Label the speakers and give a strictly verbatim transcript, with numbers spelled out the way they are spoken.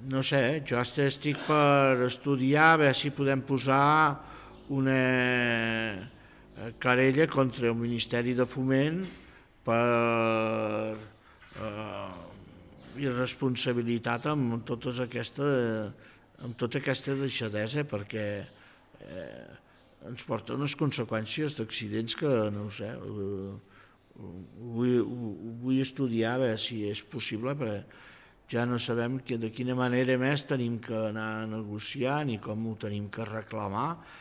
Speaker 1: no sé, jo estic per estudiar, a veure si podem posar una querella contra el Ministeri de Foment per eh, irresponsabilitat amb totes aquesta, amb tota aquesta deixadesa, perquè eh, ens porta unes conseqüències d'accidents que, no ho sé, eh, ho vull, ho vull estudiar a veure si és possible, perquè ja no sabem que, de quina manera més tenim que anar a negociar ni com ho tenim que reclamar,